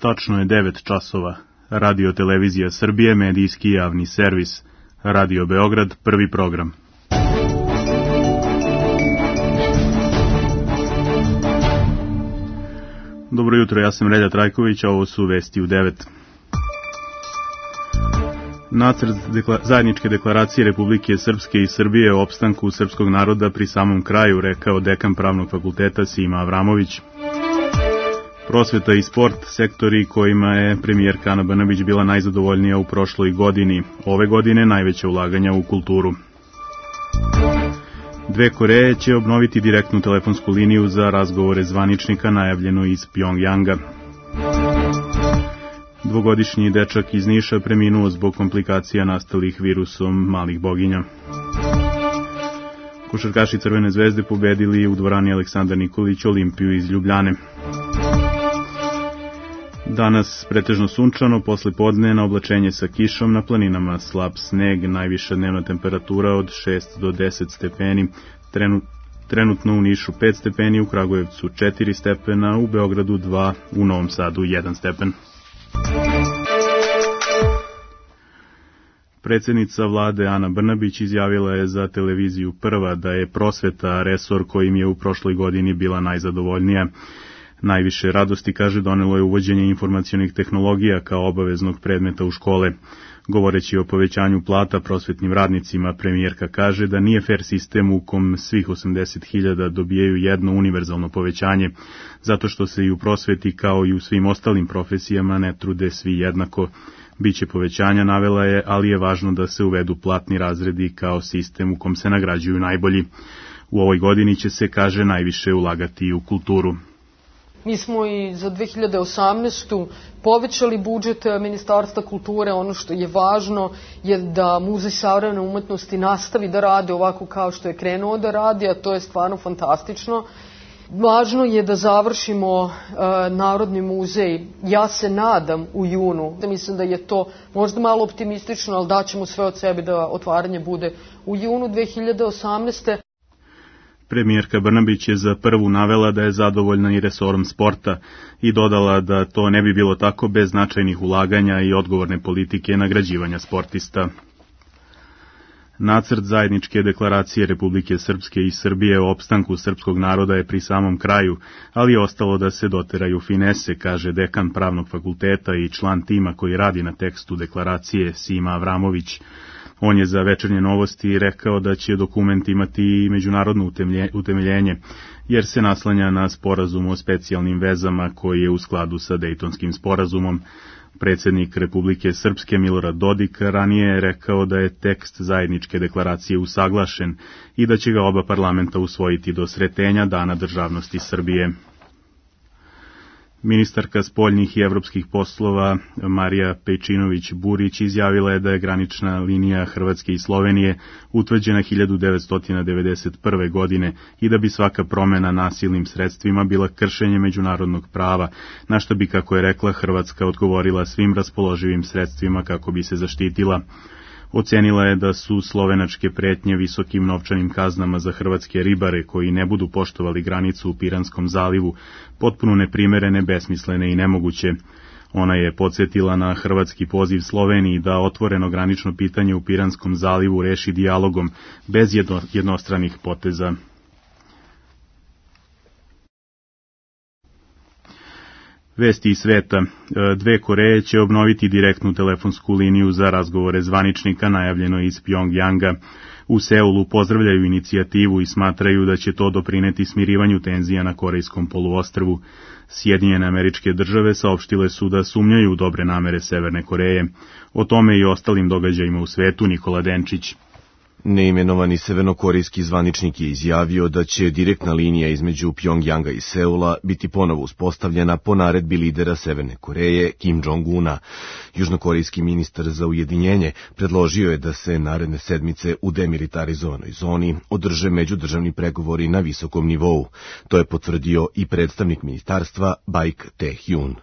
Tačno je 9 časova. Radio Televizija Srbije, medijski javni servis. Radio Beograd, prvi program. Dobro jutro, ja sam Relja Trajković, a ovo su vesti u 9. Nacrt zajedničke deklaracije Republike Srpske i Srbije o opstanku srpskog naroda pri samom kraju, rekao dekan Pravnog fakulteta Sima Avramović. Prosveta i sport, sektori kojima je premijerka Ana Brnabić bila najzadovoljnija u prošloj godini. Ove godine najveće ulaganja u kulturu. Dve Koreje će obnoviti direktnu telefonsku liniju za razgovore zvaničnika, najavljeno iz Pjongjanga. Dvogodišnji dečak iz Niša preminuo zbog komplikacija nastalih virusom malih boginja. Košarkaši Crvene zvezde pobedili u dvorani Aleksandar Nikolić Olimpiju iz Ljubljane. Danas pretežno sunčano, posle podne na oblačenje sa kišom, na planinama slab sneg, najviša dnevna temperatura od 6 do 10 stepeni, trenutno u Nišu 5 stepeni, u Kragujevcu 4 stepena, u Beogradu 2, u Novom Sadu 1 stepen. Predsjednica vlade Ana Brnabić izjavila je za televiziju Prva da je prosveta resor kojim je u prošloj godini bila najzadovoljnija. Najviše radosti, kaže, donelo je uvođenje informacionih tehnologija kao obaveznog predmeta u škole. Govoreći o povećanju plata prosvetnim radnicima, premijerka kaže da nije fer sistem u kom svih 80.000 dobijaju jedno univerzalno povećanje, zato što se i u prosveti kao i u svim ostalim profesijama ne trude svi jednako. Biće povećanja, navela je, ali je važno da se uvedu platni razredi kao sistem u kom se nagrađuju najbolji. U ovoj godini će se, kaže, najviše ulagati u kulturu. Mi smo i za 2018. povećali budžet Ministarstva kulture. Ono što je važno je da Muzej savremene umetnosti nastavi da radi ovako kao što je krenuo da radi, a to je stvarno fantastično. Važno je da završimo Narodni muzej, ja se nadam, u junu. Mislim da je to možda malo optimistično, ali daćemo sve od sebe da otvaranje bude u junu 2018. Premijerka Brnabić je za Prvu navela da je zadovoljna i resorom sporta i dodala da to ne bi bilo tako bez značajnih ulaganja i odgovorne politike nagrađivanja sportista. Nacrt zajedničke deklaracije Republike Srpske i Srbije o opstanku srpskog naroda je pri samom kraju, ali je ostalo da se doteraju finese, kaže dekan Pravnog fakulteta i član tima koji radi na tekstu deklaracije Sima Avramović. On je za Večernje novosti rekao da će dokument imati i međunarodno utemeljenje, jer se naslanja na sporazum o specijalnim vezama koji je u skladu sa Dejtonskim sporazumom. Predsjednik Republike Srpske Milorad Dodik ranije je rekao da je tekst zajedničke deklaracije usaglašen i da će ga oba parlamenta usvojiti do sretenja Dana državnosti Srbije. Ministarka spoljnih i evropskih poslova Marija Pejčinović-Burić izjavila je da je granična linija Hrvatske i Slovenije utvrđena 1991. godine i da bi svaka promjena nasilnim sredstvima bila kršenje međunarodnog prava, na što bi, kako je rekla, Hrvatska odgovorila svim raspoloživim sredstvima kako bi se zaštitila. Ocenila je da su slovenačke pretnje visokim novčanim kaznama za hrvatske ribare koji ne budu poštovali granicu u Piranskom zalivu potpuno neprimerene, besmislene i nemoguće. Ona je podsjetila na hrvatski poziv Sloveniji da otvoreno granično pitanje u Piranskom zalivu reši dijalogom bez jednostranih poteza. Vesti iz sveta. Dve Koreje će obnoviti direktnu telefonsku liniju za razgovore zvaničnika, najavljeno iz Pjongjanga. U Seulu pozdravljaju inicijativu i smatraju da će to doprineti smirivanju tenzija na Korejskom poluostrvu. Sjedinjene Američke Države saopštile su da sumnjaju u dobre namere Severne Koreje. O tome i ostalim događajima u svetu Nikola Denčić. Neimenovani severnokorejski zvaničnik je izjavio da će direktna linija između Pjongjanga i Seula biti ponovo uspostavljena po naredbi lidera Severne Koreje Kim Jong-una. Južnokorejski ministar za ujedinjenje predložio je da se naredne sedmice u demilitarizovanoj zoni održe međudržavni pregovori na visokom nivou. To je potvrdio i predstavnik ministarstva Baik Tae-hyun.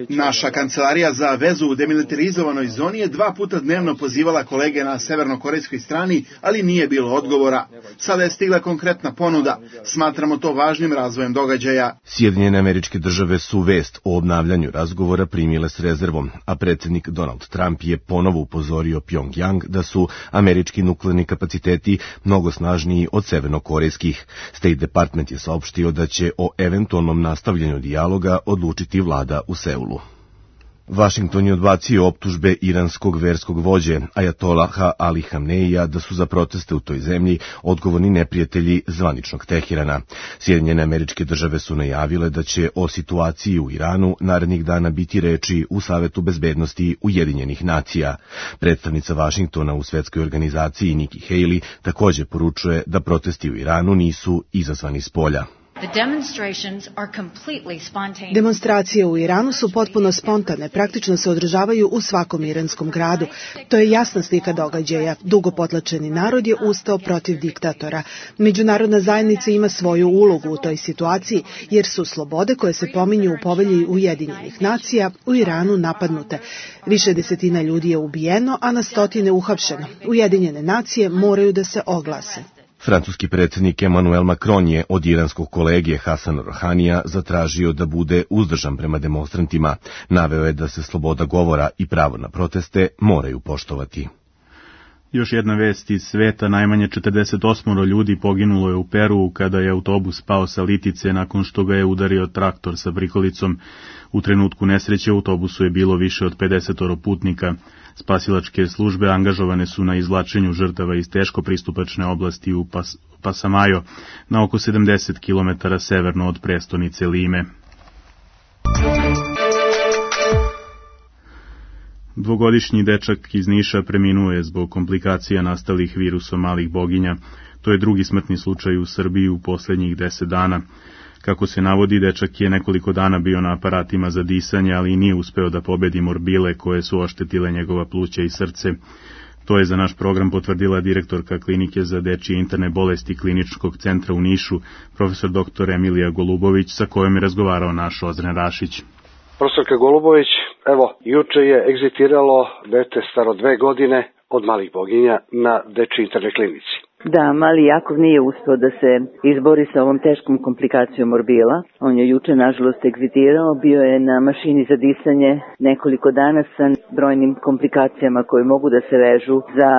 Naša kancelarija za vezu u demilitarizovanoj zoni je 2 puta dnevno pozivala kolege na severnokorejskoj strani, ali nije bilo odgovora. Sada je stigla konkretna ponuda. Smatramo to važnim razvojem događaja. Sjedinjene Američke Države su vest o obnavljanju razgovora primile s rezervom, a predsjednik Donald Trump je ponovo upozorio Pjongjang da su američki nuklearni kapaciteti mnogo snažniji od severnokorejskih. State Department je saopštio da će o eventualnom nastavljanju dijaloga odlučiti vlada u Seulu. Vašington je odbacio optužbe iranskog verskog vođe Ajatolaha Ali Hamneija da su za proteste u toj zemlji odgovorni neprijatelji zvaničnog Teherana. Sjedinjene Američke Države su najavile da će o situaciji u Iranu narednih dana biti reči u Savetu bezbednosti Ujedinjenih nacija. Predstavnica Vašingtona u svetskoj organizaciji Nikki Haley također poručuje da protesti u Iranu nisu izazvani spolja. Demonstracije u Iranu su potpuno spontane, praktično se održavaju u svakom iranskom gradu. To je jasna slika događaja. Dugo potlačeni narod je ustao protiv diktatora. Međunarodna zajednica ima svoju ulogu u toj situaciji, jer su slobode koje se pominju u povelji Ujedinjenih nacija u Iranu napadnute. Više desetina ljudi je ubijeno, a na stotine uhapšeno. Ujedinjene nacije moraju da se oglase. Francuski predsjednik Emmanuel Macron je od iranskog kolege Hasana Rouhanija zatražio da bude uzdržan prema demonstrantima. Naveo je da se sloboda govora i pravo na proteste moraju poštovati. Još jedna vest iz sveta, najmanje 48 ljudi poginulo je u Peruu kada je autobus pao sa litice nakon što ga je udario traktor sa prikolicom. U trenutku nesreće u autobusu je bilo više od 50 putnika. Spasilačke službe angažovane su na izvlačenju žrtava iz teško pristupačne oblasti u Pasamayo, na oko 70 km severno od prestonice Lime. Dvogodišnji dečak iz Niša preminuo je zbog komplikacija nastalih virusom malih boginja. To je drugi smrtni slučaj u Srbiji u posljednjih 10 dana. Kako se navodi, dečak je nekoliko dana bio na aparatima za disanje, ali nije uspeo da pobedi morbile koje su oštetile njegova pluća i srce. To je za naš program potvrdila direktorka klinike za dečije interne bolesti Kliničkog centra u Nišu, profesor dr. Emilija Golubović, sa kojom je razgovarao naš Ozren Rašić. Profesorka Golubović, juče je egzitiralo dete staro 2 godine od malih boginja na dečiji internoj klinici. Da, mali Jakov nije uspeo da se izbori sa ovom teškom komplikacijom morbila. On je juče, nažalost, egzitirao, bio je na mašini za disanje nekoliko dana sa brojnim komplikacijama koje mogu da se vežu za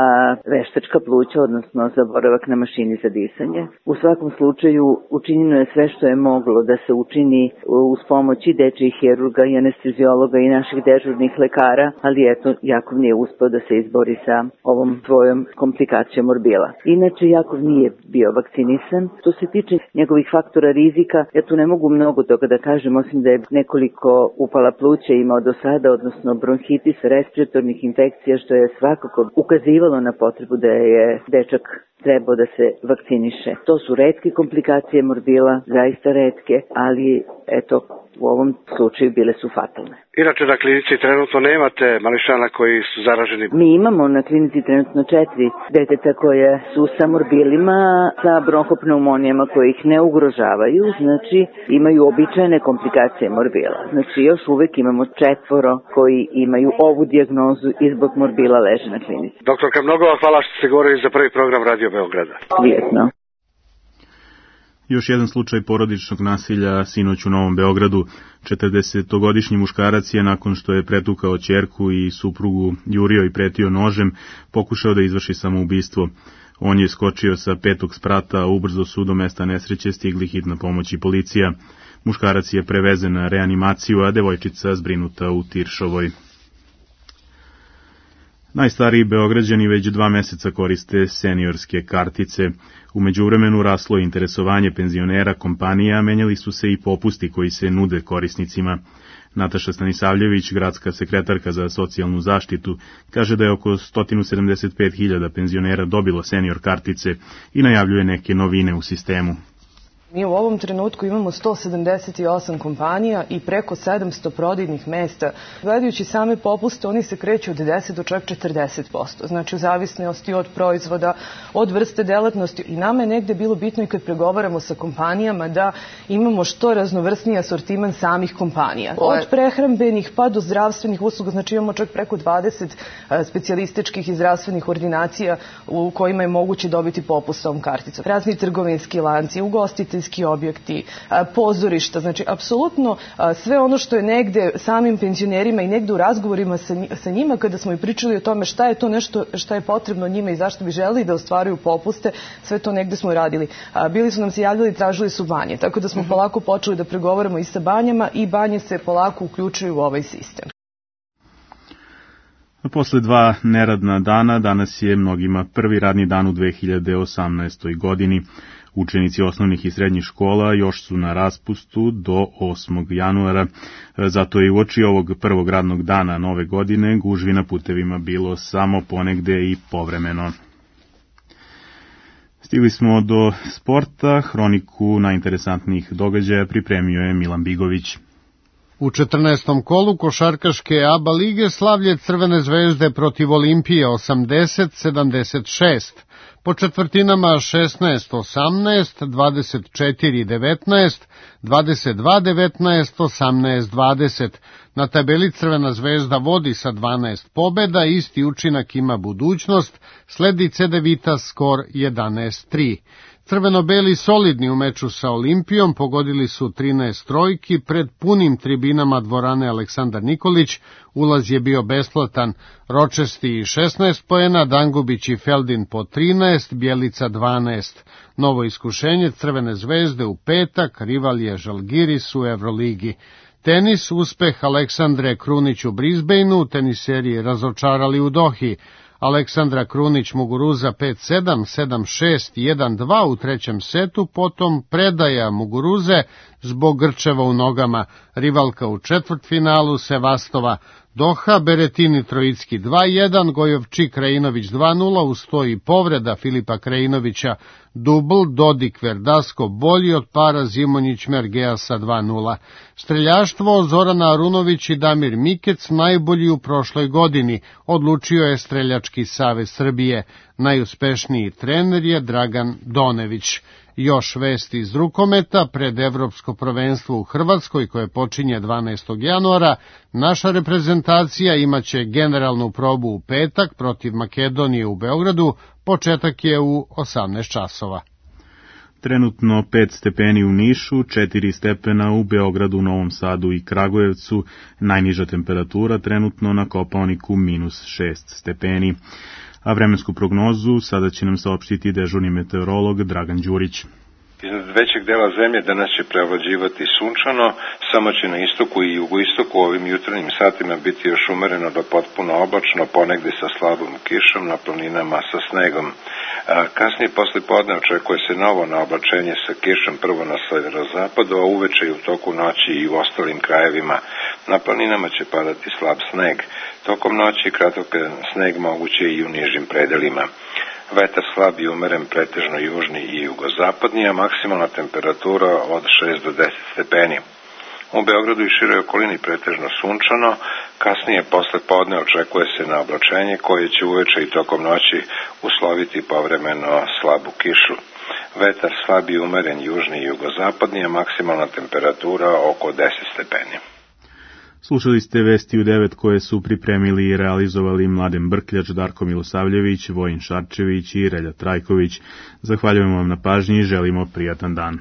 veštačka pluća, odnosno za boravak na mašini za disanje. U svakom slučaju učinjeno je sve što je moglo da se učini uz pomoć i dečjih hirurga i anesteziologa i naših dežurnih lekara, ali eto, Jakov nije uspeo da se izbori sa ovom svojom komplikacijom morbila. Inače, Jakov nije bio vakcinisan. Što se tiče njegovih faktora rizika, ja tu ne mogu mnogo toga da kažem, osim da je nekoliko upala pluća imao do sada, odnosno bronhitis, respiratornih infekcija, što je svakako ukazivalo na potrebu da je dečak trebao da se vakciniše. To su retke komplikacije morbila, zaista retke, ali eto, u ovom slučaju bile su fatalne. Inače na klinici trenutno nemate mališana koji su zaraženi? Mi imamo na klinici trenutno 4 deteta koje su sa morbilima, sa bronhopneumonijama koje ih ne ugrožavaju, znači imaju običajne komplikacije morbila. Znači još uvek imamo 4 koji imaju ovu dijagnozu i zbog morbila leže na klinici. Doktorka, mnogo vam hvala što ste govorili za prvi program Radio Beograda. Prijetno. Još jedan slučaj porodičnog nasilja sinoć u Novom Beogradu. 40-godišnji muškarac je, nakon što je pretukao ćerku i suprugu, jurio i pretio nožem, pokušao da izvrši samoubistvo. On je skočio sa 5. sprata, a ubrzo su do mesta nesreće stigli hitna pomoć i policija. Muškarac je prevezen na reanimaciju, a devojčica zbrinuta u Tiršovoj. Najstariji Beograđani već 2 meseca koriste seniorske kartice. U međuvremenu raslo je interesovanje penzionera, kompanija, menjali su se i popusti koji se nude korisnicima. Nataša Stanisavljević, gradska sekretarka za socijalnu zaštitu, kaže da je oko 175.000 penzionera dobilo senior kartice i najavljuje neke novine u sistemu. Mi u ovom trenutku imamo 178 kompanija i preko 700 prodajnih mesta. Gledajući same popuste, oni se kreću od 10 do čak 40%. Znači u zavisnosti od proizvoda, od vrste delatnosti. I nama je negde bilo bitno i kad pregovaramo sa kompanijama da imamo što raznovrsniji asortiman samih kompanija. Od prehrambenih pa do zdravstvenih usluga, znači imamo čak preko 20 specijalističkih i zdravstvenih ordinacija u kojima je moguće dobiti popust sa ovom karticom. Razni trgovinski lanci, ugostiteljski objekti, pozorišta, znači apsolutno sve ono što je negde samim penzionerima i negde u razgovorima sa njima kada smo i pričali o tome šta je to nešto šta je potrebno njima i zašto bi želeli da ostvaruju popuste, sve to negde smo i radili. Bili su nam se javljali i tražili su banje, tako da smo polako počeli da pregovaramo i sa banjama i banje se polako uključuju u ovaj sistem. Posle 2 neradna dana, danas je mnogima prvi radni dan u 2018. godini. Učenici osnovnih i srednjih škola još su na raspustu do 8. januara, zato je uoči ovog prvog radnog dana nove godine gužvi na putevima bilo samo ponegde i povremeno. Stigli smo do sporta, hroniku najinteresantnijih događaja pripremio je Milan Bigović. U 14. kolu košarkaške ABA lige slavlje Crvene zvezde protiv Olimpije 80-76. Po četvrtinama 16-18, 24-19, 22-19, 18-20. Na tabeli Crvena zvezda vodi sa 12 pobeda, isti učinak ima budućnost, sledi Cedevita skor 11-3. Crveno-beli solidni u meču sa Olimpijom, pogodili su 13 trojki, pred punim tribinama dvorane Aleksandar Nikolić, ulaz je bio besplatan, Ročesti 16 poena, Dangubić i Feldin po 13, Bjelica 12. Novo iskušenje Crvene zvezde u petak, rival je Žalgiris u Evroligi. Tenis, uspeh Aleksandre Krunić u Brisbaneu, teniseri razočarali u Dohi. Aleksandra Krunić Muguruza 5-7, 7-6, 1-2 u trećem setu, potom predaja Muguruze zbog grčeva u nogama, rivalka u četvrtfinalu Sevastova. Doha, Beretini Trojicki 2-1, Gojovčik Krajinović 2-0, uz to i povreda Filipa Krajinovića, dubl, Dodik Verdasko bolji od para, Zimonjić Mergea sa 2-0. Streljaštvo Zorana Arunović i Damir Mikec najbolji u prošloj godini, odlučio je Streljački savez Srbije. Najuspešniji trener je Dragan Donević. Još vesti iz rukometa, pred Evropsko prvenstvo u Hrvatskoj koje počinje 12. januara, naša reprezentacija imaće generalnu probu u petak protiv Makedonije u Beogradu, početak je u 18 časova. Trenutno 5 stepeni u Nišu, 4 stepena u Beogradu, Novom Sadu i Kragujevcu, najniža temperatura trenutno na Kopaoniku -6 stepeni. A vremensku prognozu sada će nam saopštiti dežurni meteorolog Dragan Đurić. Iznad većeg dela zemlje danas će preovlađivati sunčano, samo će na istoku i jugoistoku ovim jutarnjim satima biti još umereno do potpuno oblačno, ponegde sa slabom kišom, na planinama sa snegom. Kasnije posle podne očekuje se novo naoblačenje sa kišom prvo na severozapadu, a uveče i u toku noći i u ostalim krajevima. Na planinama će padati slab sneg. Tokom noći kratak sneg moguće i u nižim predelima. Vetar slab i umeren, pretežno južni i jugozapadni, a maksimalna temperatura od 6 do 10 stepeni. U Beogradu i široj okolini pretežno sunčano, kasnije posle podne očekuje se na oblačenje koje će uveče i tokom noći usloviti povremeno slabu kišu. Vetar slab i umeren, južni i jugozapadni, a maksimalna temperatura oko 10 stepeni. Slušali ste vesti u 9 koje su pripremili i realizovali Mladen Brkljač, Darko Milosavljević, Vojin Šarčević i Relja Trajković. Zahvaljujemo vam na pažnji i želimo prijatan dan.